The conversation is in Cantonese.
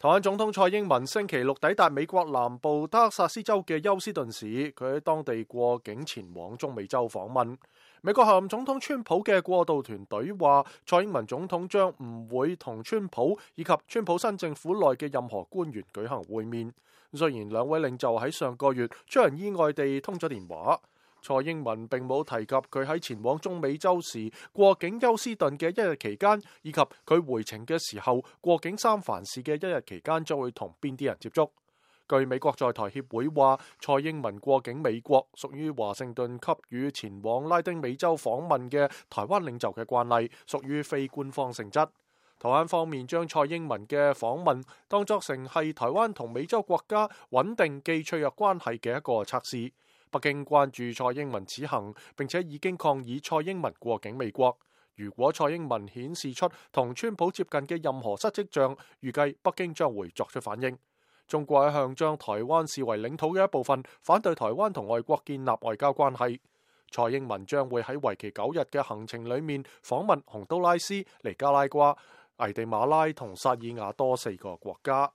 台灣總統蔡英文星期六抵達美國南部德克薩斯州嘅休斯頓市，佢喺當地過境前往中美洲訪問。美國候任總統川普嘅過渡團隊話，蔡英文總統將唔會同川普以及川普新政府內嘅任何官員舉行會面。雖然兩位領袖喺上個月出人意外地通咗電話，蔡英文並冇提及佢喺前往中美洲時過境休斯頓嘅一日期間，以及佢回程嘅時候過境三藩市嘅一日期間將會同邊啲人接觸。據美國在台協會話，蔡英文過境美國屬於華盛頓給予前往拉丁美洲訪問嘅台灣領袖嘅慣例，屬於非官方性質。台灣方面將蔡英文嘅訪問當作成係台灣同美洲國家穩定既脆弱關係嘅一個測試。北京關注蔡英文此行，並且已經抗議蔡英文過境美國。如果蔡英文顯示出同川普接近嘅任何失跡象，預計北京將會作出反應。中國一向將台灣視為領土嘅一部分，反對台灣同外國建立外交關係。蔡英文將會喺為期9日嘅行程裏面訪問洪都拉斯、尼加拉瓜、危地馬拉同薩爾瓦多4個國家。